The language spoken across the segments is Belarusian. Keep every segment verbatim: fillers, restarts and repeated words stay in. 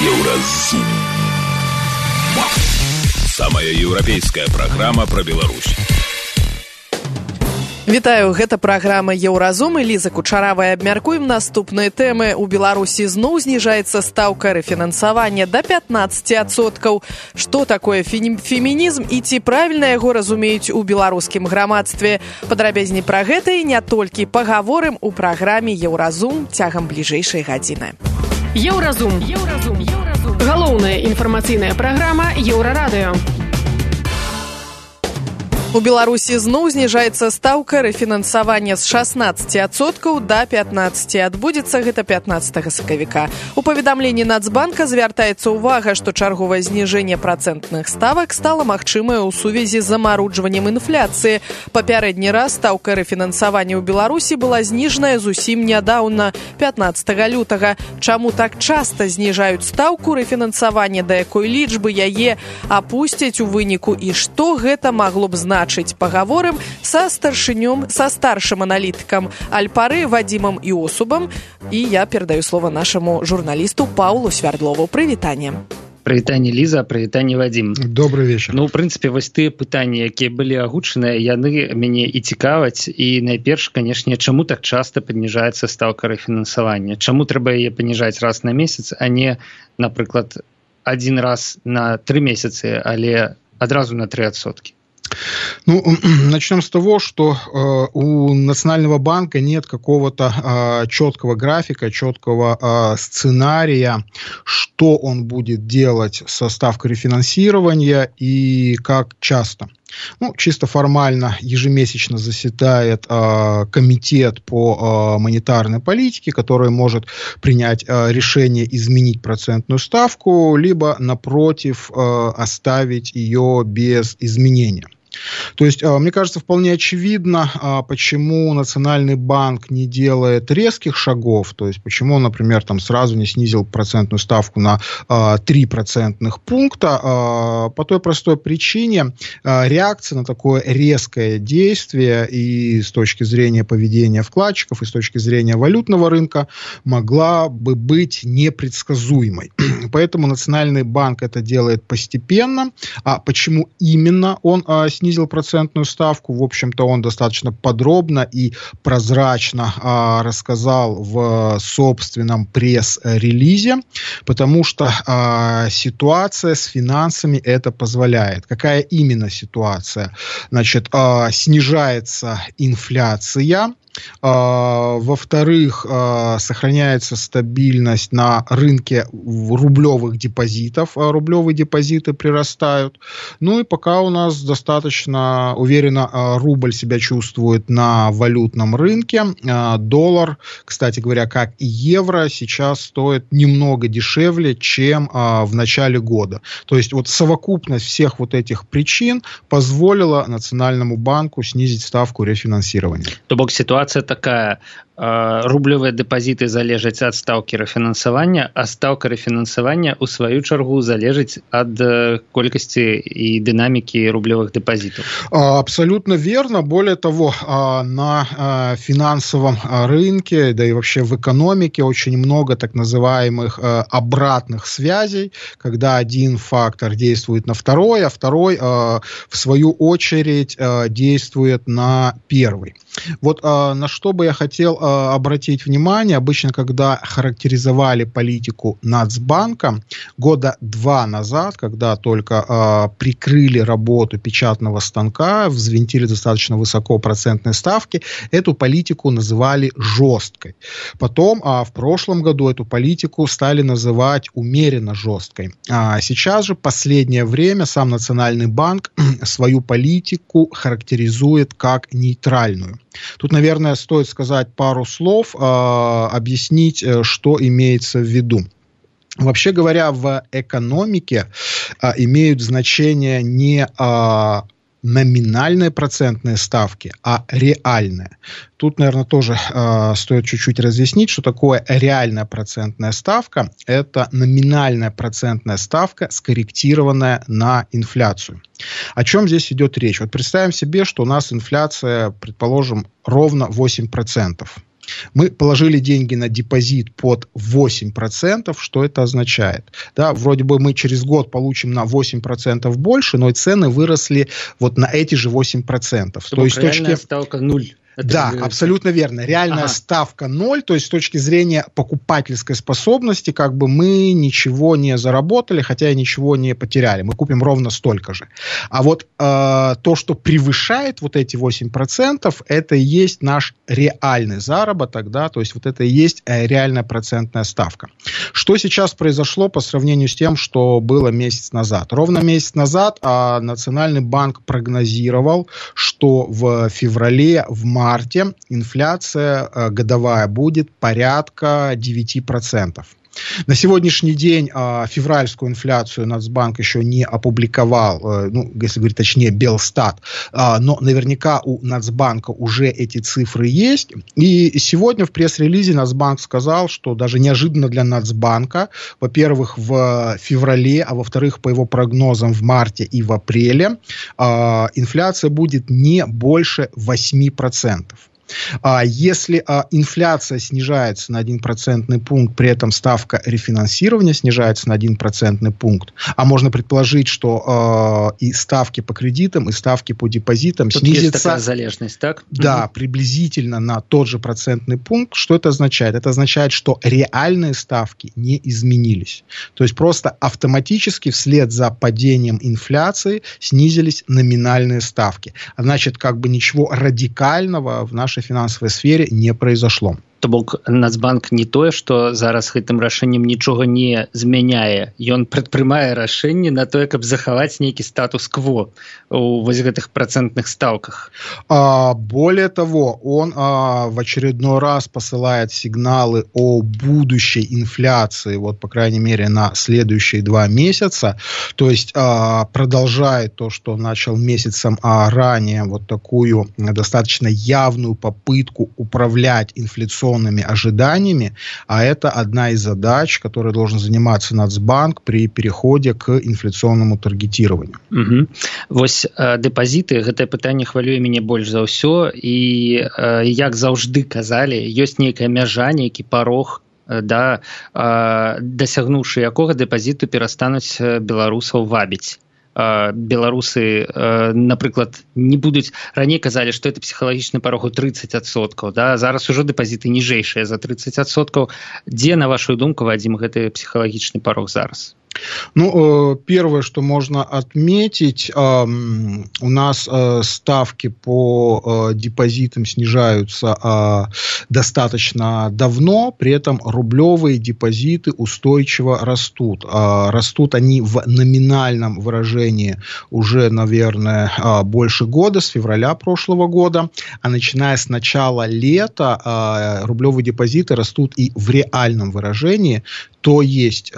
Еўразум. Самая еўрапейская праграма пра Беларусь. Вітаю, гэта праграма Еўразум і Ліза Кучаравая. Абмяркуем наступныя тэмы. У Беларусі зноў зніжаецца стаўка рэфінансавання да пятнаццаць адсоткаў. Што такое фемінізм і ці правільна яго разумеюць у беларускім грамадстве? Падрабязней пра гэта і не толькі пагаворым у праграме Еўразум цягам бліжэйшай гадзіны. Еўразум. Еўразум. Еўразум. Галоўная інфармацыйная праграма Еўрарадыё. У Беларусі зноў зніжаецца стаўка рэфінансавання з шаснаццаці адсоткаў да пятнаццаці. Адбудзецца гэта пятнаццатага сакавіка. У паведамленні Нацбанка звяртаецца ўвага, што чарговае зніжэнне працэнтных ставак стала магчымае ў сувязі з замароджваннем інфляцыі. Папярэдні раз стаўка рэфінансавання ў Беларусі была зніжаная зусім нядаўна, пятнаццатага лютага. Чаму так часта зніжаюць стаўку рэфінансавання, да якой лічбы яе апусцяць у выніку і што гэта магло б значыць? Пагаворым са старшынём, са старшым аналітыкам Альпары Вадзімам Іосубам. І я перадаю слова нашаму журналісту Паўлу Свярдлову. Прывітанне. Прывітанне, Ліза, прывітанне, Вадзім. Добрый вечар. Ну, у прынцыпе, вось тыя пытанні, якія былі агучаныя, яны мяне і цікаваць. І найперш, канешне, чаму так часта паніжаецца стаўка рэфінансавання? Чаму трэба яе паніжаць раз на месяц, а не, напрыклад, адзін раз на тры месяцы, але адразу на тры адсоткі? Ну, начнем с того, что э, у Национального банка нет какого-то э, четкого графика, четкого э, сценария, что он будет делать со ставкой рефинансирования и как часто. Ну, чисто формально ежемесячно заседает э, комитет по э, монетарной политике, который может принять э, решение изменить процентную ставку, либо, напротив, э, оставить ее без изменения. То есть, мне кажется, вполне очевидно, почему Национальный банк не делает резких шагов, то есть почему, например, там сразу не снизил процентную ставку на три процентных пункта, по той простой причине реакция на такое резкое действие и с точки зрения поведения вкладчиков, и с точки зрения валютного рынка могла бы быть непредсказуемой. Поэтому Национальный банк это делает постепенно. А почему именно он снизил процентную ставку? В общем-то, он достаточно подробно и прозрачно а, рассказал в собственном пресс-релизе, потому что а, ситуация с финансами это позволяет. Какая именно ситуация? Значит, а, снижается инфляция. Uh, во-вторых, uh, сохраняется стабильность на рынке рублевых депозитов, uh, рублевые депозиты прирастают. Ну и пока у нас достаточно уверенно uh, рубль себя чувствует на валютном рынке. Uh, доллар, кстати говоря, как и евро, сейчас стоит немного дешевле, чем uh, в начале года. То есть вот совокупность всех вот этих причин позволила Национальному банку снизить ставку рефинансирования. То бок ситуация Ситуация такая, рублевыя дэпазіты залежаць ад стаўкі рэфінансавання, а стаўка рэфінансавання ў сваю чаргу залежыць ад колькасці і дынамікі рублевых дэпазітаў. Абсолютно верно. Более того, на финансовом рынке, да и вообще в экономике очень много так называемых обратных связей, когда один фактор действует на второй, а второй в свою очередь действует на первый. Вот на что бы я хотел обратить внимание. Обычно, когда характеризовали политику Нацбанка года два назад, когда только э, прикрыли работу печатного станка, взвинтили достаточно высоко процентные ставки, эту политику называли жесткой. Потом, а в прошлом году эту политику стали называть умеренно жесткой. А сейчас же, последнее время, сам Национальный банк свою политику характеризует как нейтральную. Тут, наверное, стоит сказать пару слов, э, объяснить, что имеется в виду. Вообще говоря, в экономике э, имеют значение не э, номинальные процентные ставки, а реальные. Тут, наверное, тоже э, стоит чуть-чуть разъяснить, что такое реальная процентная ставка. Это номинальная процентная ставка, скорректированная на инфляцию. О чем здесь идет речь? Вот представим себе, что у нас инфляция, предположим, ровно восемь процентов. Мы положили деньги на депозит под восемь процентов. Что это означает? Да, вроде бы мы через год получим на восемь процентов больше, но и цены выросли вот на эти же восемь процентов. То есть реальная точки... ставка ноль. Это да, абсолютно верно. Реальная ага. ставка ноль, то есть с точки зрения покупательской способности, как бы мы ничего не заработали, хотя и ничего не потеряли. Мы купим ровно столько же. А вот э, то, что превышает вот эти восемь процентов, это и есть наш реальный заработок, да, то есть вот это и есть э, реальная процентная ставка. Что сейчас произошло по сравнению с тем, что было месяц назад? Ровно месяц назад э, Национальный банк прогнозировал, что в феврале, в марте марте инфляция э, годовая будет порядка девять процентов. На сегодняшний день э, февральскую инфляцию Нацбанк еще не опубликовал, э, ну, если говорить точнее, Белстат, э, но наверняка у Нацбанка уже эти цифры есть. И сегодня в пресс-релизе Нацбанк сказал, что даже неожиданно для Нацбанка, во-первых, в феврале, а во-вторых, по его прогнозам в марте и в апреле, э, инфляция будет не больше восемь процентов. А если а, инфляция снижается на один процентный пункт, при этом ставка рефинансирования снижается на один процентный пункт, а можно предположить, что а, и ставки по кредитам, и ставки по депозитам тут снизятся... Есть такая залежность, так? Да, угу. приблизительно на тот же процентный пункт. Что это означает? Это означает, что реальные ставки не изменились. То есть просто автоматически вслед за падением инфляции снизились номинальные ставки. А значит, как бы ничего радикального в нашей фінансавай сфере не произошло. То бок Нацбанк не тое, што зараз гэтым рашэннем нічога не змяняе. Ён прадпрымае рашэнне на тое, каб захаваць нейкі статус-кво у вось гэтых процентных ставках. А, более того, он а, в очередной раз посылает сигналы о будущей инфляции, вот, по крайней мере, на следующие два месяца. То есть а, продолжает то, что начал месяцем а, ранее, вот такую достаточно явную попытку управлять инфляционными ожиданиями, а это одна из задач, которой должен заниматься Нацбанк при переходе к инфляционному таргетированию. Угу. Вось э, депозиты, гэтае пытанне хвалюе мяне больш за ўсё, і э, як заўжды казалі, ёсць нейкая мяжа, нейкі парог, э, да, э, дасягнуўшы якога дэпазіту перастануць беларусаў вабіць. Беларусы, напрыклад, не будуць, раней казалі, што это псіхалагічны парог у тридцать адсоткаў, да? Зараз ужо дэпазіты ніжэйшыя за тридцать адсоткаў. Дзе, на вашу думку, Вадзім, гэты псіхалагічны парог зараз? Ну, первое, что можно отметить, у нас ставки по депозитам снижаются достаточно давно, при этом рублевые депозиты устойчиво растут. Растут они в номинальном выражении уже, наверное, больше года, с февраля прошлого года, а начиная с начала лета рублевые депозиты растут и в реальном выражении, то есть...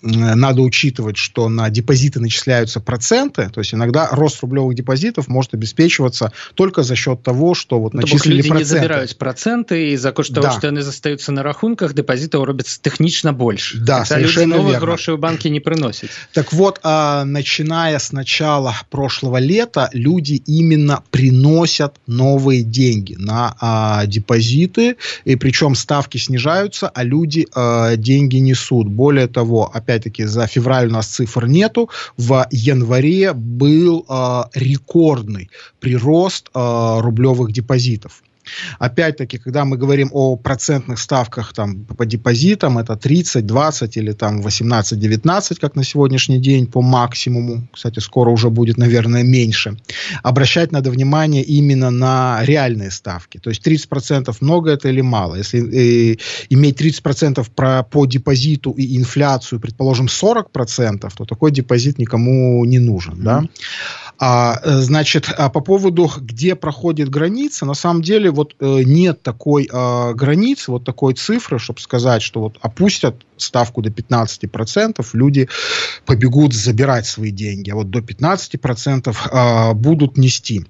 Надо учитывать, что на депозиты начисляются проценты, то есть иногда рост рублевых депозитов может обеспечиваться только за счет того, что вот начислили люди проценты. Не забирают проценты, и за кошт того, да. что они застаются на рахунках, депозитов робится технично больше. Да, Хотя совершенно люди новых верно. грошей в банке не приносят. Так вот, а, начиная с начала прошлого лета, люди именно приносят новые деньги на а, депозиты, и причем ставки снижаются, а люди а, деньги несут. Более того, опять Опять-таки, за февраль у нас цифр нету. В январе был э, рекордный прирост э, рублевых депозитов. Опять-таки, когда мы говорим о процентных ставках там, по депозитам, это тридцать, двадцать или там восемнадцать, девятнадцать, как на сегодняшний день по максимуму. Кстати, скоро уже будет, наверное, меньше. Обращать надо внимание именно на реальные ставки. То есть тридцать процентов много это или мало? Если э, иметь тридцать процентов про, по депозиту и инфляцию, предположим, сорок процентов, то такой депозит никому не нужен. Mm-hmm. Да? А, значит, а по поводу, где проходит граница, на самом деле вот э, нет такой э, границы, вот такой цифры, чтобы сказать, что вот опустят ставку до пятнадцати процентов, люди побегут забирать свои деньги, а вот до пятнадцати процентов э, будут нести.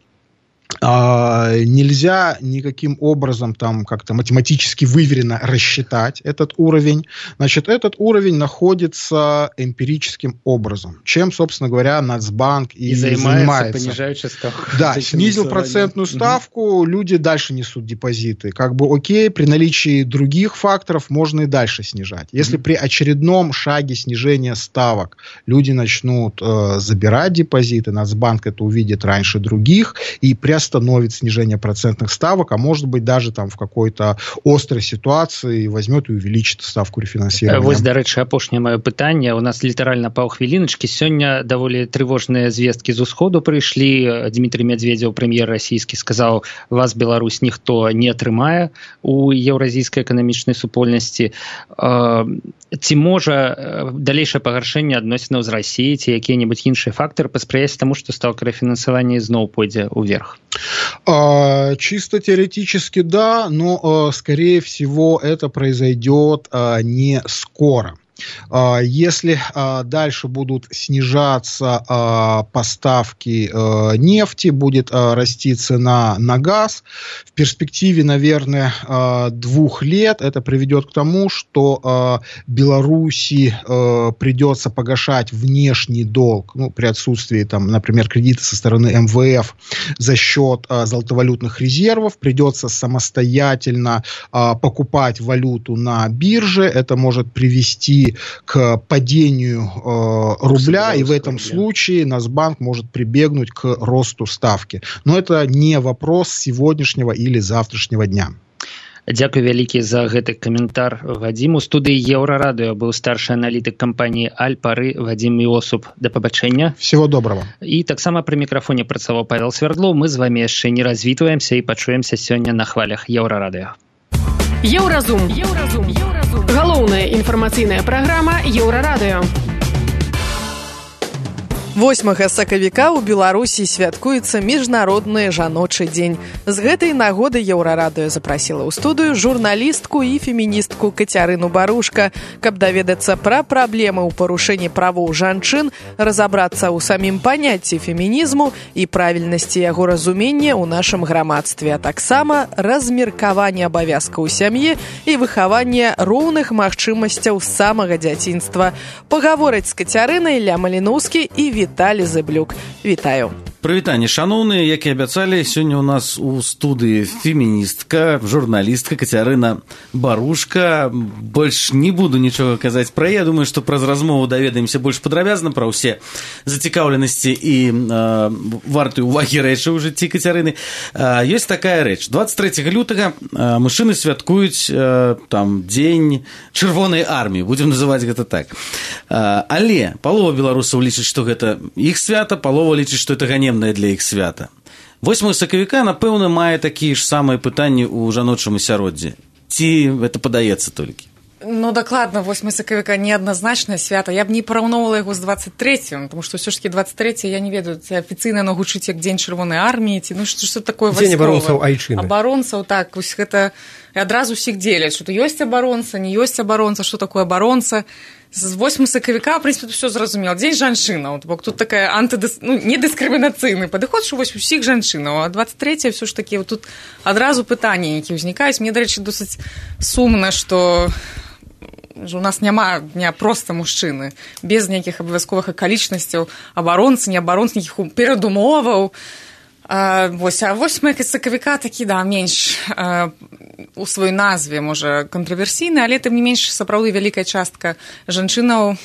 Нельзя никаким образом там как-то математически выверенно рассчитать этот уровень. Значит, этот уровень находится эмпирическим образом, чем, собственно говоря, Нацбанк и, и занимается. Понижающая ставка. Да, снизил процентную ставку, угу. Люди дальше несут депозиты. Как бы окей, при наличии других факторов можно и дальше снижать. Если угу. при очередном шаге снижения ставок люди начнут э, забирать депозиты, Нацбанк это увидит раньше других и приостановит снижение процентных ставок, а может быть даже там в какой-то острой ситуации возьмет и увеличит ставку рефинансирования. Вось, дарэчы, апошняе маё пытанне. У нас літаральна паўхвіліначкі. Сёння даволі трывожныя звесткі з усходу прыйшлі. Дмітрий Медведзеў, прэм'ер расійскі, сказаў, вас, Беларусь, ніхто не атрымае у еўразійскай эканамічнай супольнасці. Ці можа далейшае пагаршэнне адносінаў з Расіяй ці якія-небудзь іншыя фактары паспрыяць таму, што ставка рэфінансавання зноў пойдзе ўверх? Чисто теоретически да, но, скорее всего, это произойдет не скоро. Если дальше будут снижаться поставки нефти, будет расти цена на газ, в перспективе, наверное, двух лет это приведет к тому, что Беларуси придется погашать внешний долг, ну, при отсутствии, там, например, кредита со стороны эм вэ эф за счет золотовалютных резервов, придется самостоятельно покупать валюту на бирже, это может привести к падению э, рубля, и в этом случае Нацбанк может прибегнуть к росту ставки. Но это не вопрос сегодняшнего или завтрашнего дня. Дзякуй вялікі за гэты каментар, Вадзім. У студыі Еўрарадыё быў старшы аналітык кампаніі Альпары Вадзім Іосуп. Да пабачэння. Всего доброго. І таксама пры мікрафоне працаваў Павел Свердлоў. Мы з вамі яшчэ не развітваемся і пачуемся сёння на хвалях Еўрарадыё. Еўразум. Еўразум. Еўразум. Галоўная інфармацыйная праграма Еўрарадыё. восьмага сакавіка ў Беларусі святкуецца міжнародны жаночы дзень. З гэтай нагоды Еўрарадыё запрасіла ў студыю журналістку і феміністку Кацярыну Барушка, каб даведацца пра праблемы ў парушэнні правоў жанчын, разабрацца ў самім паняцці фемінізму і правільнасці яго разумення ў нашым грамадстве, а таксама размеркаванне абавязкаў у сям'і і выхаванне роўных магчымасцяў з самага дзяцінства. Пагавораць з Кацярынай Ілля Маліноўскі і Віталій Зэблюк. Вітаю. Прывітанне, шаноўныя, як і абяцалі, сёння ў нас у студыі феміністка, журналістка Кацярына Барушка. Больш не буду нічога казаць пра яе. Думаю, што праз размову даведаемся больш падрабязна пра ўсе зацікаўленасці і э, вартыя ўвагі рэчы ў жыцці Кацярыны. Э, ёсць такая рэч. дваццаць трэцяга лютага э, мужчыны святкуюць э, там дзень чырвонай арміі, будзем называць гэта так. Э, але палова беларусаў лічыць, што гэта іх свята, палова лічыць, што гэта ганебна для іх свята. восьмага сакавіка, напэўна, мае такія ж самыя пытанні ў жаночым асяроддзі. Ці гэта падаецца толькі? Ну, дакладна, восьмага сакавіка неадназначнае свята. Я б не параўноўвала яго з дваццаць трэцім, тому што ўсё ж таки дваццаць трэці, я не ведаю, ці афіцыйна яно гучыць як дзень чырвонай арміі, ці ну што такое вайсковае. Дзень абаронцаў айчыны. Абаронцаў, так, вось гэта адразу ўсіх дзеляць, што ёсць абаронца, не ёсць абаронца, што такое абаронца. З восьмага сакавіка, в прынцыпе, ўсё зразумела. Дзень жанчынаў, бок тут такая антыдыс... ну, недыскрымінацыйны падыход, што вось усіх жанчынаў, а дваццаць трэцяе ўсё ж такі тут адразу пытанні, якія ўзнікаюць. Мне, дарэчы, досыць сумна, што у нас няма дня проста мужчыны, без нейкіх абавязковых акалічнасцяў, абаронцы, не абаронцы, нейкіх перадумоваў. А, вось, а восьмага сакавіка такі, да, менш а, у сваёй назве, можа, кантраверсійны, але тым не менш сапраўды вялікая частка жанчынаў.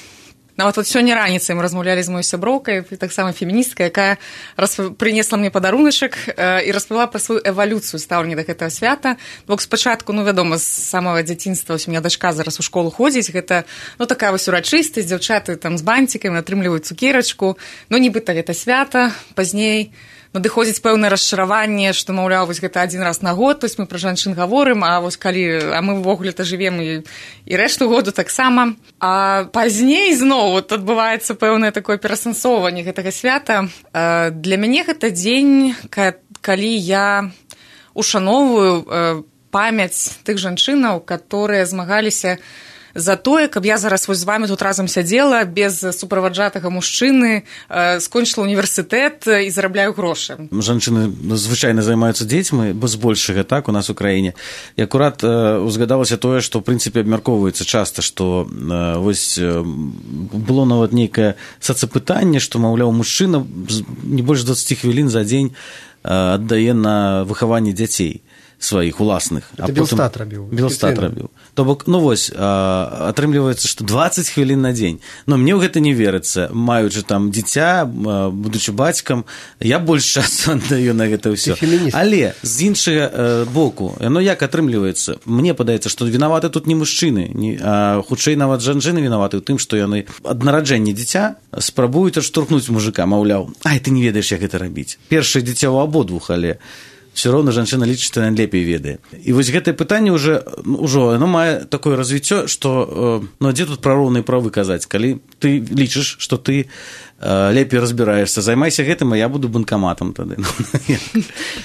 Нават вот сёння раніцай мы размаўлялі з маёй сяброўкай, таксама феміністка, якая расп... прынесла мне падаруначак э, і распавяла пра сваю эвалюцыю стаўлення да гэтага свята. Бок спачатку, ну, вядома, з самага дзяцінства, вось у меня дачка зараз у школу ходзіць, гэта, ну, такая вось урачыстасць, дзяўчаты там з бантикамі атрымліваюць цукерачку, ну, нібыта гэта свята, пазней надыходзіць пэўнае расчараванне, што, маўляў, вось гэта адзін раз на год, вось мы пра жанчын гаворым, а вось калі, а мы ўвогуле-то жывем і, і рэшту году таксама. А пазней зноў вот адбываецца пэўнае такое перасэнсоўванне гэтага свята. А для мяне гэта дзень, калі я ушаноўваю памяць тых жанчынаў, которые змагаліся за тое, каб я зараз вось з вами тут разам сядзела без суправаджатага мужчыны, скончыла універсітэт і зарабляю грошы. Жанчыны звычайна займаюцца дзецьмі, бо збольшага так у нас у краіне. І акурат узгадалася тое, што ў прынцыпе абмяркоўваецца часта, што вось было нават нейкае сацапытанне, што, маўляў, мужчына не больш дваццаць хвілін за дзень аддае на выхаванне дзяцей сваіх уласных. Это Белстат рабіў. Белстат рабіў. То бок, ну вось, атрымліваецца, што дваццаць хвілін на дзень. Но мне ў гэта не верыцца. Маючы там дзіця, будучы бацькам, я больш часу аддаю на гэта ўсё. Але з іншага боку, ну як атрымліваецца? Мне падаецца, што вінаваты тут не мужчыны, а хутчэй нават жанчыны вінаваты ў тым, што яны ад нараджэння дзіця спрабуюць адштурхнуць мужика, маўляў, ай, ты не ведаеш, як гэта рабіць. Першае дзіця ў абодвух, але все роўна жанчына лічыць, што яна лепей ведае. І вось гэтае пытанне ўжо, ўжо оно мае такое развіццё, што ну, дзе тут пра роўныя правы казаць, калі ты лічыш, што ты лепей разбіраешься, займайся гэтым, а я буду банкаматам тады.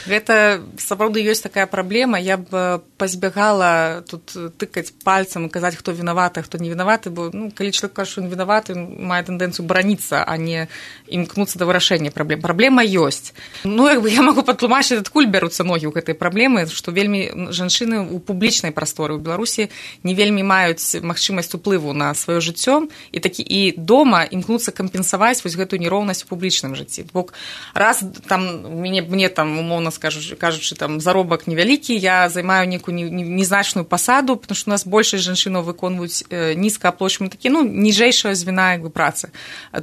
Гэта сапраўды ёсць такая праблема. Я б пазбягала тут тыкаць пальцам і казаць, хто вінаваты, хто не вінаваты, бо ну, калі чалавек кажа, што ён вінаваты, мае тэндэнцыю бараніцца, а не імкнуцца да вырашэння праблем. Праблема ёсць. Ну, як бы я магу патлумачыць, адкуль бяруцца ногі ў гэтай праблемы, што вельмі жанчыны ў публічнай прасторы ў Беларусі не вельмі маюць магчымасць уплыву на сваё жыццё і такі і дома імкнуцца кампенсаваць вось гэтую нероўнасць у публічным жыцці. Бок раз там мне, мне там умоўна скажу, кажучы, там заробак невялікі, я займаю некую незначную пасаду, потому што у нас большасць жанчынаў выконваюць нізкааплачваемыя такі, ну, ніжэйшая звіна як бы працы.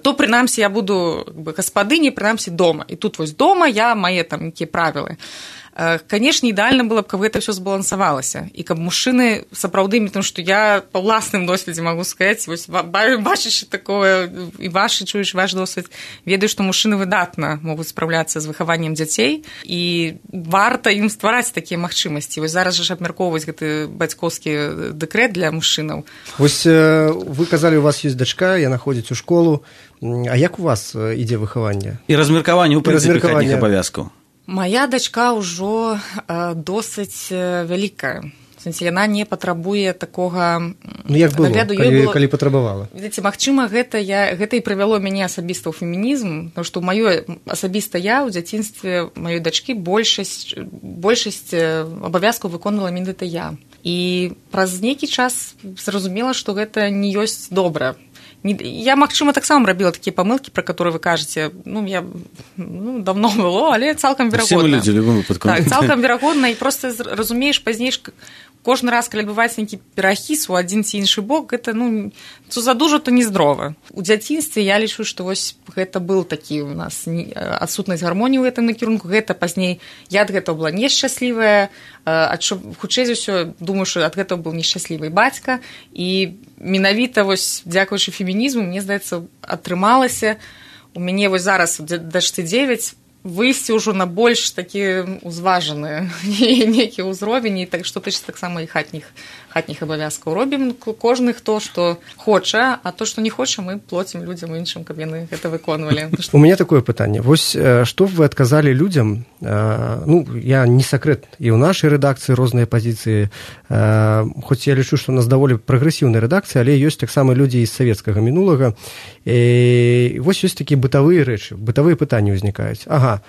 То прынамсі я буду як бы гаспадыняй, прынамсі дома. І тут вось дома я мае там нейкія правілы. Канешне, ідэальна было б, каб гэта ўсё збалансавалася. І каб мужчыны сапраўды, тому што я па ўласным досведзе магу сказаць, вось бачачы такое, і вашы чуеш ваш досвед, ведаю, што мужчыны выдатна могуць спраўляцца з выхаваннем дзяцей, і варта ім ствараць такія магчымасці. Вось зараз жа абмяркоўваць гэты бацькоўскі дэкрэт для мужчынаў. Вось вы казалі, у вас ёсць дачка, яна ходзіць у школу. А як у вас ідзе выхаванне? І размеркаванне ў прынцыпе хатніх абавязкаў. Моя дачка ўжо э, досыць э, вялікая. Сэнсе, яна не патрабуе такога ну, як было, нагляду. Калі, было... калі патрабавала. Видите, магчыма, гэта, я, гэта і прывяло мяне асабіста ў фемінізм, потому што маё асабіста я ў дзяцінстве маёй дачкі большасць, большасць абавязкаў выконвала менавіта я. І праз нейкі час зразумела, што гэта не ёсць добра. Я, магчыма, таксама рабіла такія памылкі, пра которые вы кажаце, ну, я ну, давно было, але цалкам верагодна. Все мы людзі, любым выпадку. Так, цалкам верагодна, і проста разумееш пазней, кожны раз, калі адбываецца нейкі перахіс у адзін ці іншы бок, гэта, ну, то задужа, то нездрова. У дзяцінстве я лічу, што вось гэта быў такі у нас адсутнасць гармоніі ў гэтым накірунку, гэта пазней я ад гэтага была нешчаслівая, хутчэй за ўсё, думаю, што ад гэтага быў нешчаслівы бацька, і менавіта вось дзякуючы фемінізму, мне здаецца, атрымалася у мяне вось зараз дачцы дзевяць выйсці ўжо на больш такі узважаны нейкі ўзровень, і так што тычыцца таксама і хатніх хатніх абавязкаў робім кожны хто што хоча, а то што не хоча, мы плоцім людзям іншым, каб яны гэта выконвалі. У мяне такое пытанне. Вось што вы адказалі людзям? Ну, я не сакрэт, і ў нашай рэдакцыі розныя пазіцыі, хоць я лічу, што у нас даволі прагрэсіўная рэдакцыя, але ёсць таксама людзі з савецкага мінулага. І вось ёсць такія бытавыя рэчы, бытавыя пытанні ўзнікаюць. Ага,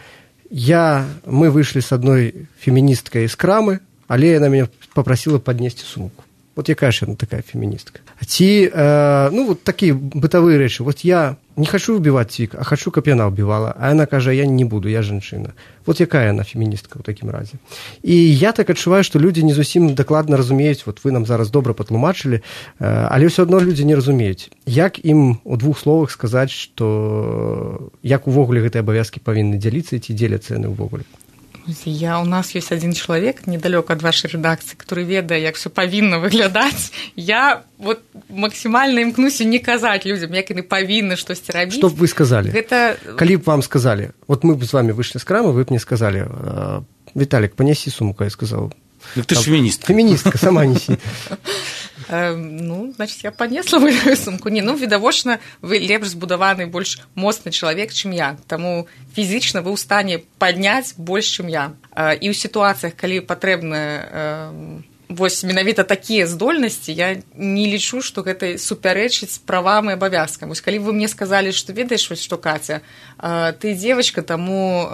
я, мы выйшлі з адной феміністкай з крамы, але яна мяне попросила поднесці сумку. Вот якая ж яна такая феміністка. Ці, э, ну, вот такія бытавыя рэчы. Вот я не хочу убивать цвік, а хочу, каб яна убивала. А яна кажа, я не буду, я жанчына. Вот якая яна феміністка ў такім разе. І я так адчуваю, што людзі не зусім дакладна разумеюць, вот вы нам зараз добра патлумачылі, э, але ўсё адно людзі не разумеюць. Як ім у двух словах сказаць, што як увогуле гэтыя абавязкі павінны дзяліцца, ці дзеляцца яны ўвогуле? Я, у нас есть один человек недалёка от вашей редакции, который ведае, як все павінна выглядаць. Я вот максимально імкнуся не казаць людям, як яны павінны штосьці рабіць. Што б вы сказалі? Гэта... Калі б вам сказалі, вот мы б з вами выйшлі з крамы, вы б мне сказалі, Виталик, понеси сумку, я сказал. Так ты ж феміністка. Феміністка, сама неси. Ну, значит, я понесла мою сумку. Не, ну, відавочна, вы лепш збудаваны, больш моцны чалавек, чым я. Таму фізічна вы ў стане падняць больш, чым я. І ў сітуацыях, калі патрэбна вось менавіта такія здольнасці я не лічу, што гэта супярэчыць правам і абавязкам. Вось калі вы мне сказалі, што ведаеш, вось што Каця, ты дзевачка, таму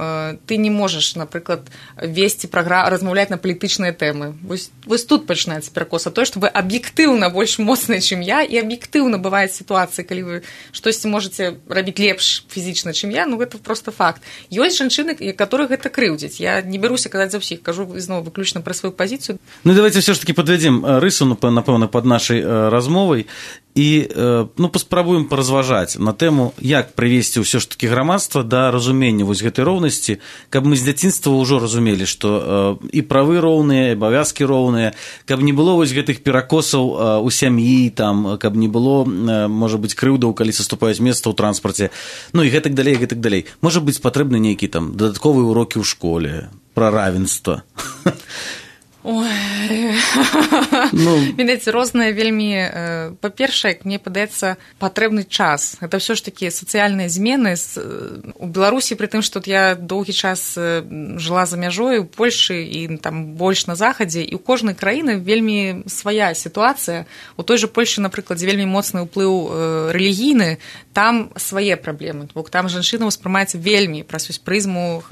ты не можаш, напрыклад, весці праграму, размаўляць на палітычныя тэмы. Вось, вось тут пачынаецца перакос. А тое, што вы аб'ектыўна больш моцныя, чым я, і аб'ектыўна бываюць сітуацыі, калі вы штосьці можаце рабіць лепш фізічна, чым я, ну гэта проста факт. Ёсць жанчыны, которые гэта крыўдзяць. Я не бяруся казаць за ўсіх, кажу зноў выключна пра сваю пазіцыю. Ну давайте все ж таки подведем рысу, напэўна, под нашай размовай і ну, паспрабуем паразважаць на тэму, як прывесці ўсё ж таки грамадства да разумення вось гэтай роўнасці, каб мы з дзяцінства ўжо разумелі, што і правы роўныя, і абавязкі роўныя, каб не было вось гэтых перакосаў у сям'і, там, каб не было, можа быць, крыўдаў, калі саступаюць месца ў транспарце, ну і гэтак далей, гэтак далей. Можа быць, патрэбны нейкі там дадатковыя урокі ў школе пра равенства. Ой, ну, ведаеце, розныя вельмі, па-першае, мне падаецца, патрэбны час. Гэта ўсё ж такі сацыяльныя змены. У Беларусі, пры тым, што я доўгі час жыла за мяжой, у Польшы і там больш на захадзе, і ў кожнай краіны вельмі свая сітуацыя. У той жа Польшы, напрыклад, дзе вельмі моцны ўплыў рэлігійны, там свае праблемы. Бо там жанчына ўспрымаецца вельмі праз прызму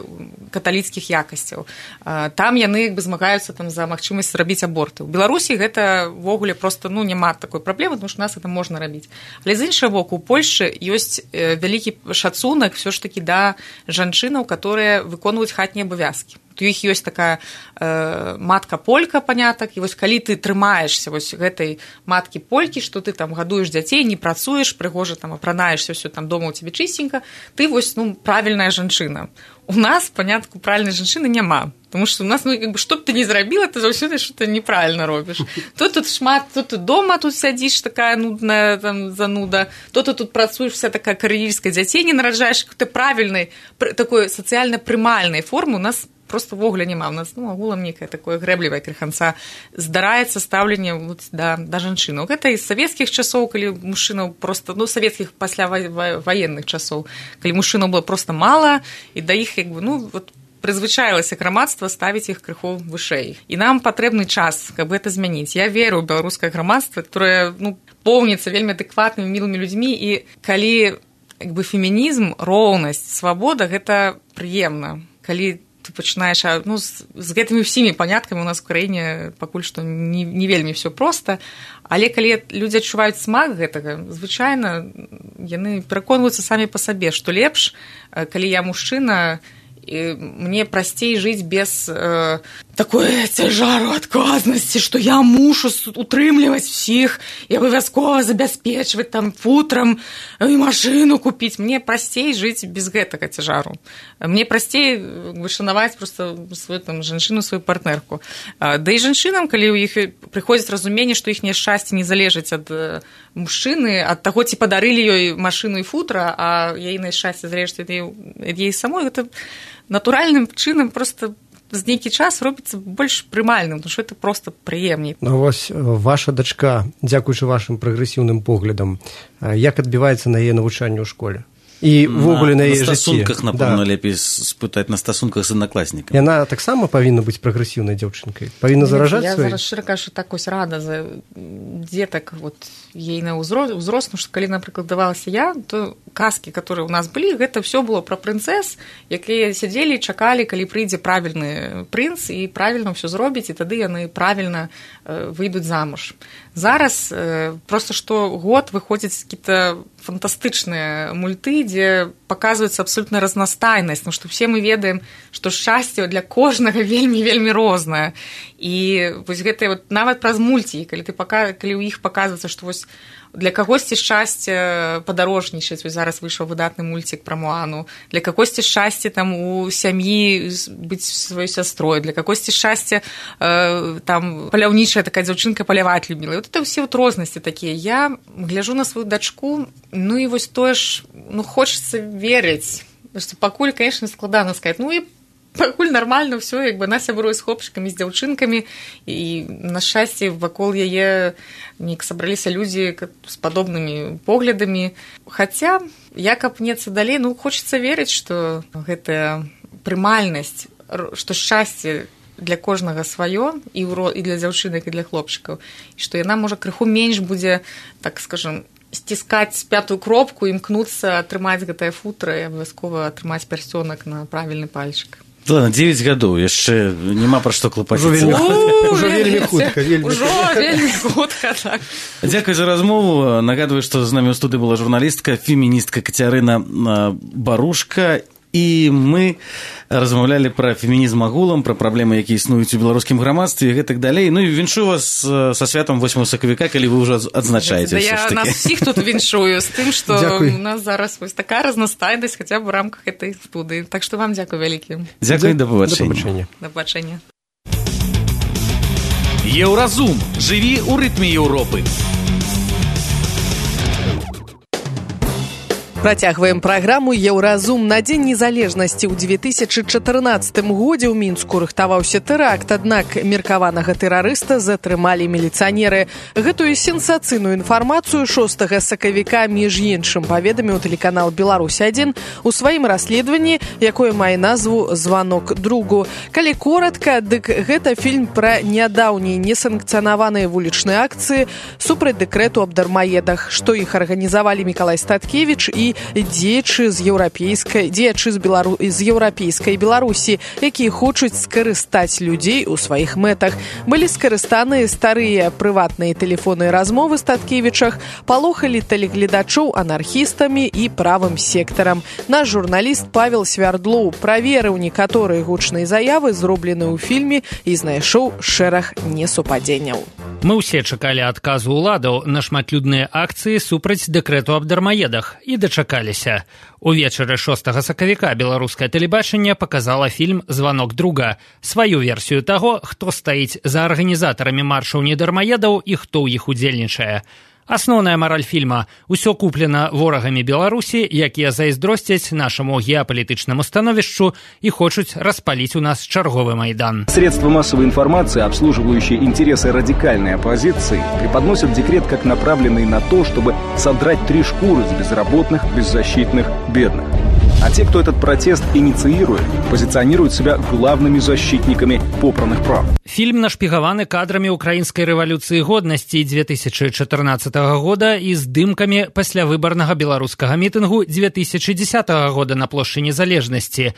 каталіцкіх якасцяў. Там яны як бы змагаюцца там за магчымасць рабіць аборты. У Беларусі гэта ввогуле проста ну, няма такой праблемы, тому што у нас гэта можна рабіць. Але з іншага боку, у Польшы ёсць вялікі шацунак ўсё ж такі да жанчынаў, которые выконваюць хатнія абавязкі. У іх ёсць такая э, матка-полька, панятак, і вось калі ты трымаешся вось гэтай маткі-полькі, што ты там гадуеш дзяцей, не працуеш, прыгожа там апранаешся, ўсё там дома ў цябе чысценька, ты вось ну, правільная жанчына. У нас, панятку, правільнай жанчыны няма. Потому что у нас, ну, как бы, что б ты ни зрабіла, ты заўсёды что-то неправильно робіш. То тут шмат, то ты дома тут сядзіш, такая нудная там, зануда, то ты тут працуеш, вся такая кар'ерістка, дзяцей не нараджаеш, какой-то правільнай, такой сацыяльна прымальнай формы у нас просто ввогуле няма. У нас, ну, агулам некае такое грэблівае крыханца здараецца стаўленне вот, да, да жанчыну. Гэта і з савецкіх часоў, калі мужчынаў просто, ну, савецкіх пасля ваенных часоў, калі мужчынаў было просто мала, і да іх, як бы, ну, вот, прызвычаілася грамадства ставіць іх крыху вышэй. І нам патрэбны час, каб гэта змяніць. Я веру ў беларускае грамадства, которое ну, поўніцца вельмі адэкватнымі, мілымі людзьмі, і калі як бы, фемінізм, роўнасць, свабода, гэта прыемна. Калі ты пачынаеш, ну, з, з гэтымі ўсімі паняткамі у нас в краіне пакуль што не, не вельмі ўсё проста, але калі людзі адчуваюць смак гэтага, звычайна яны пераконваюцца самі па сабе, што лепш, калі я мужчына, і мне прасцей жыць без э, такой цяжару адказнасці, што я мушу утрымліваць усіх і абавязкова забяспечваць там футрам і машыну купіць. Мне прасцей жыць без гэтага цяжару. Мне прасцей шанаваць проста сваю там жанчыну, сваю партнерку. Да і жанчынам, калі ў іх прыходзіць разуменне, што іхняе шчасце не залежыць ад мужчыны, ад таго, ці падарылі ёй машыну і футра, а яе шчасце залежыць ад яе самой, гэта натуральным чынам просто з нейкі час робіцца больш прымальным, тому што это просто прыемней. Ну вось ваша дачка, дзякуючы вашым прагрэсіўным поглядам, як адбіваецца на яе навучанне ў школе? І ввогуле на, на яе жыцці. На стасунках, напэўна, да. Лепей спытаць на стасунках з аднакласнікамі. Яна таксама павінна быць прагрэсіўнай дзяўчынкай? Павінна заражаць свой? Я свой? зараз шчыра кажучы, так ось рада за дзетак вот, ейна ўзрост, што калі, напрыклад, давалася я, то казкі, которые у нас былі, гэта ўсё было пра прынцэс, якія сядзелі і чакалі, калі прыйдзе правільны прынц і правільна ўсё зробіць, і тады яны правільна э, выйдуць замуж. Зараз э, проста што год выходзяць какие-то фантастычныя мульты, дзе паказваецца абсолютна разнастайнасць, тому што все мы ведаем, што шчасце для кожнага вельмі-вельмі рознае. І вось гэта вот, нават праз мульці, калі, ты пака... калі ў іх паказваецца, што вось для кагосьці шчасце падарожнічаць, вось зараз выйшаў выдатны мульцік пра Моану, для кагосьці шчасце там у сям'і быць сваёй сястрой, для кагосьці шчасце э, там паляўнічая такая дзяўчынка паляваць любіла. І вот это ўсе вот рознасці такія. Я гляжу на сваю дачку, ну і вось тое ж, ну хочацца верыць, што пакуль, конечно, складана сказаць, ну і пакуль нармальна ўсё, як бы она сябруе з хлопчыкамі, з дзяўчынкамі, і на шчасце вакол яе неяк сабраліся людзі з падобнымі поглядамі. Хаця, як апнецца далей, ну хочацца верыць, што гэтая прымальнасць, што шчасце для кожнага сваё, і, ўро... і для дзяўчынак, і для хлопчыкаў, і што яна, можа, крыху менш будзе, так скажем, сціскаць пятую кропку, імкнуцца атрымаць гэтае футра і абавязкова атрымаць пярсцёнак на правільны пальчык. Ладно, девять гадоў, яшчэ няма пра што клапаціцца. Ужо вельмі хутка. Ужо вельмі хутка, так. Дзякуй за размову. Нагадваю, што з намі ў студыі была журналістка, феміністка Кацярына Барушка. І мы размаўлялі пра фемінізм агулам, пра праблемы, якія існуюць у беларускім грамадстве і гэтак далей. Ну і віншую вас са святам восьмага сакавіка, калі вы ўжо адзначаеце. Да, я нас усіх тут віншую з тым, што у нас зараз вось такая разнастайнасць хаця б у рамках гэтай студыі. Так што вам дзякуй вялікі. Дзякуй, да пабачэння. Да пабачэння. Еўразум. Жыві ў рытме Еўропы. Працягваем праграму «Еўразум». На Дзень незалежнасці ў две тысячы чатырнаццатым годзе ў Мінску рыхтаваўся тэракт, аднак меркаванага тэрарыста затрымалі міліцыянеры. Гэтую сенсацыйную інфармацыю шостага сакавіка, між іншым, паведаміў тэлеканал «Беларусь адзін» у сваім расследаванні, якое мае назву «Званок другу». Калі коратка, дык гэта фільм пра нядаўнія несанкцыянаваныя вулічныя акцыі супраць дэкрэту аб дармаедах, што іх арганізавалі Мікалай Статкевіч і дзеячы з еўрапейскай дзеячы з Белару... з еўрапейскай Беларусі, якія хочуць скарыстаць людзей у сваіх мэтах. Былі скарыстаныя старыя прыватныя тэлефонныя размовы Статкевічах, палохалі тэлегледачоў анархістамі і правым сектарам. Наш журналіст Павел Свярдлоў праверыў некаторыя гучныя заявы, зробленыя ў фільме, і знайшоў шэраг несупадзенняў. Мы ўсе чакалі адказу ўладаў на шматлюдныя акцыі супраць дэкрэту аб дармаедах і дачакаліся. Увечары шостага сакавіка беларускае тэлебачанне паказала фільм «Званок друга», сваю версію таго, хто стаіць за арганізатарамі маршаў недармаедаў і хто ў іх удзельнічае. Асноўная мараль фільма – усё куплена ворагамі Беларусі, якія зайздросцяць нашаму геапалітычнаму становішчу і хочуць распаліць у нас чарговы майдан. Средства массовой информации, обслуживающие интересы радикальной оппозиции, преподносят декрет как направленный на то, чтобы содрать три шкуры с безработных, беззащитных, бедных. А те, кто этот протест инициирует, позиционируют себя главными защитниками попранных прав. Фільм нашпігаваны кадрамі украінскай рэвалюцыі годнасці две тысячы чатырнаццатага года і здымкамі паслявыбарнага беларускага мітынгу две тысячы дзесятага года на плошчы Незалежнасці.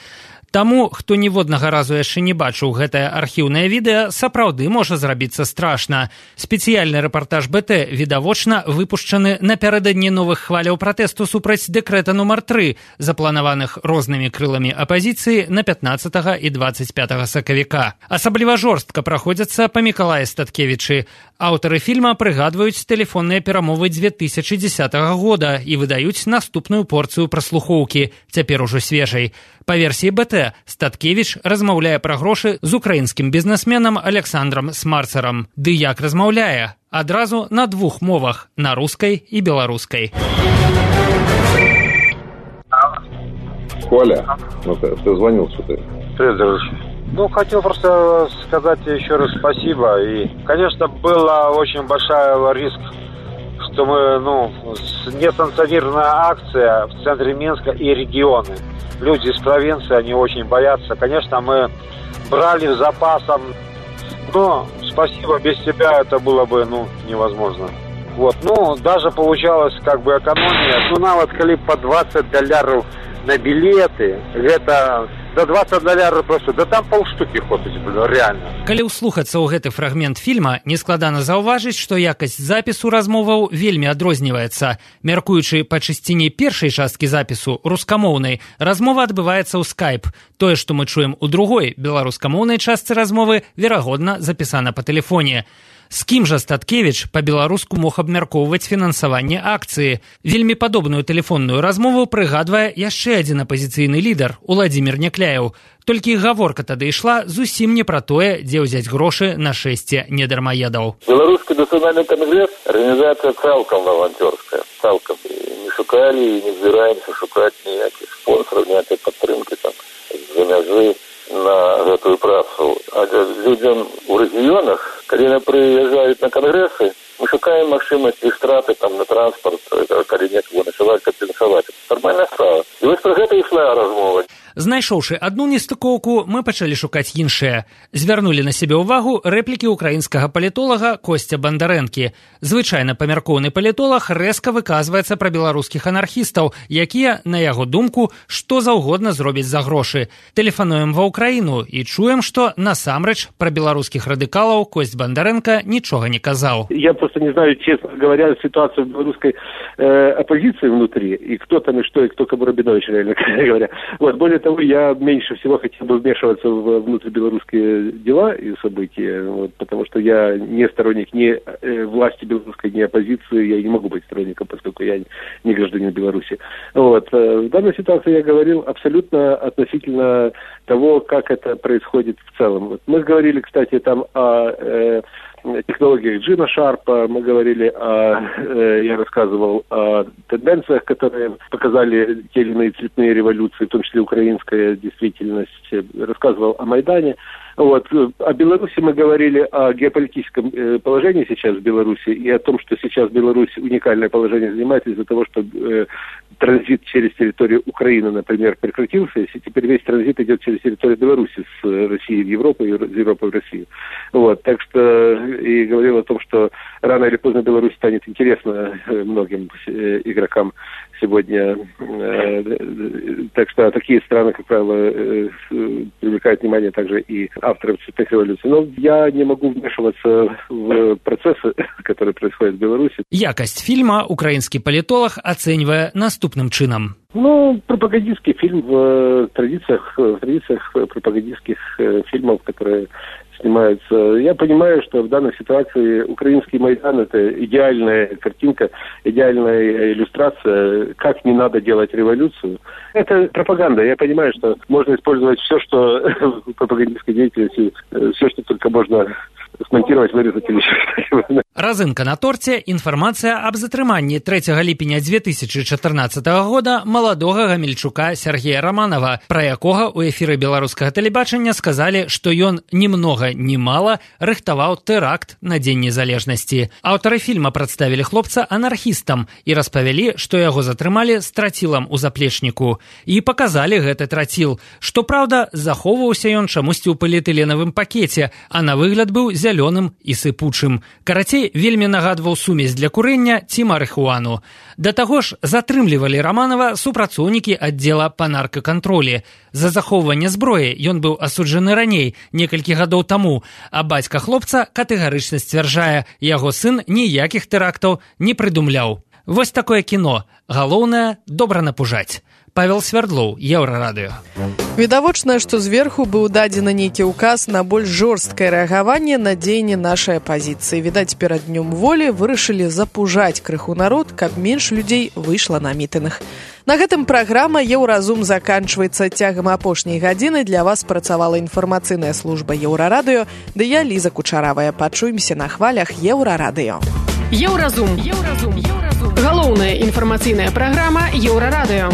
Таму, хто ніводнага разу яшчэ не бачыў гэтае архіўнае відэа, сапраўды можа зрабіцца страшна. Спецыяльны рэпартаж БТ відавочна выпушчаны напярэдадні новых хваляў пратэсту супраць дэкрэта нумар тры, запланаваных рознымі крыламі апазіцыі на пятнаццатага і дваццаць пятага сакавіка. Асабліва жорстка праходзяцца па Мікалаі Статкевічы. Аўтары фільма прыгадваюць тэлефонныя перамовы две тысячы дзесятага года і выдаюць наступную порцыю праслухоўкі, цяпер ужо свежай. Па версіі БТ, Статкевіч размаўляе пра грошы з украінскім бізнесменам Александрам Смарцарам. Ды як размаўляе? Адразу на двух мовах – на рускай і беларускай. Коля, ну ты, ты звонил сюда. Привет, дружище. Ну, хотел просто сказать еще раз спасибо. И, конечно, была очень большая риск, что мы, ну, несанкционированная акция в центре Минска и регионы. Люди из провинции, они очень боятся. Конечно, мы брали в запасом, но спасибо, без тебя это было бы, ну, невозможно. Вот, ну, даже получалось как бы экономия. Ну, нават коли по двадцать долларов на билеты, это за двадцать долларов просто, да там полштуки ходить, реально. Калі ўслухацца ў гэты фрагмент фільма, нескладана заўважыць, што якасць запісу размоваў вельмі адрозніваецца. Мяркуючы па чысціні першай часткі запісу, рускамоўнай, размова адбываецца ў скайп. Тое, што мы чуем у другой, беларускамоўнай частцы размовы, верагодна, запісана па тэлефоне. З кім жа Статкевіч па-беларуску мог абмяркоўваць фінансаванне акцыі? Вельмі падобную тэлефонную размову прыгадвае яшчэ адзін апазіцыйны лідар – Уладзімір Някляеў. Толькі гаворка тады ішла зусім не пра тое, дзе ўзяць грошы на шэсце недармаедаў. Беларускі нацыянальны кангрэс – арганізацыя цалкам валанцёрская. Цалкам. Не шукалі і не збіраемся шукаць ніякіх спонсораў, ніякай падтрымкі там з-за мяжы на гэтую працу. А людзям у рэгіёнах, калі яны прыязджаюць на кангрэсы, мы шукаем магчымасці страты там на транспарт, калі некага начаваць кампенсаваць. Нармальная справа. І вось пра гэта ішла размова. Знайшоўшы адну нестыкоўку, мы пачалі шукаць іншыя. Звярнулі на сябе ўвагу рэплікі украінскага палітолага Косця Бандарэнкі. Звычайна памяркоўны палітолаг рэзка выказваецца пра беларускіх анархістаў, якія, на яго думку, што заўгодна зробяць за грошы. Тэлефануем ва Ўкраіну і чуем, што насамрэч пра беларускіх радыкалаў Кость Бандарэнка нічога не казаў. Я просто не знаю, честно говоря, ситуацию в белорусской э, оппозиции внутри, и кто там, и что, и кто кому Рабинович, реально говоря. Вот, более того, я меньше всего хотел бы вмешиваться в внутрибелорусские дела и события, вот, потому что я не сторонник ни э, власти белорусской, ни оппозиции, я не могу быть сторонником, поскольку я не гражданин Беларуси. Вот. В данной ситуации я говорил абсолютно относительно того, как это происходит в целом. Вот. Мы говорили, кстати, там о э, технологиях Джина Шарпа, мы говорили о, э, я рассказывал о тенденциях, которые показали те или иные цветные революции, в том числе украинская действительность, рассказывал о Майдане. Вот. О Беларуси мы говорили о геополитическом э, положении сейчас в Беларуси и о том, что сейчас Беларусь уникальное положение занимает из-за того, что э, транзит через территорию Украины, например, прекратился, и теперь весь транзит идет через территорию Беларуси с России в Европу и из Европы в Россию. Вот. Так что и говорил о том, что рано или поздно Беларусь станет интересна многим э, игрокам сегодня. Э, так что такие страны, как правило, э, привлекают внимание также и авторов цветных революций. Но я не могу вмешиваться в процессы, которые происходят в Беларуси. Якость фильма украинский политолог оценивая наступным чином. Ну, пропагандистский фильм в традициях, в традициях пропагандистских фильмов, которые снимаются. Я понимаю, что в данной ситуации украинский Майдан – это идеальная картинка, идеальная иллюстрация, как не надо делать революцию. Это пропаганда. Я понимаю, что можно использовать все, что в пропагандистской деятельности, все, что только можно смонтировать, вырезать или что-то. Разынка на торце. Інфармацыя аб затрыманні трэцяга ліпеня дзве тысячы чатырнаццатага года маладога гамельчука Сергея Романова, пра якога ў эфіры беларускага тэлебачання сказалі, што ён ні многа ні мала рыхтаваў тэракт на Дзень незалежнасці. Аўтары фільма прадставілі хлопца анархістам і распавялі, што яго затрымалі з трацілам у заплечніку. І паказалі гэты траціл. Што праўда, захоўваўся ён чамусьці ў поліэтыленавым пакеце, а на выгляд быў зялёным і сыпучым. Карацей, вельмі нагадваў сумесь для курення ці марыхуану. Да таго ж, затрымлівалі Романова супрацоўнікі аддзела па наркакантролі. За захоўванне зброі ён быў асуджаны раней, некалькі гадоў таму, а бацька хлопца катэгарычна сцвярджае, яго сын ніякіх тэрактаў не прыдумляў. Вось такое кіно. Галоўнае – добра напужаць. Павел Свердлоў, Еўрарадыё. Відавочна, што зверху быў дадзены нейкі ўказ на больш жорсткае рэагаванне на дзеянні нашай апазіцыі. Відаць, перад днём волі вырашылі запужаць крыху народ, каб менш людзей выйшла на мітынг. На гэтым праграма «Еўразум» заканчваецца. Цягам апошняй гадзіны для вас працавала інфармацыйная служба Еўрарадыё, ды я Ліза Кучаравая. Пачуемся на хвалях Еўрарадыё. Еўразум. Еўразум. Еўразум. Галоўная інфармацыйная праграма Еўрарадыё.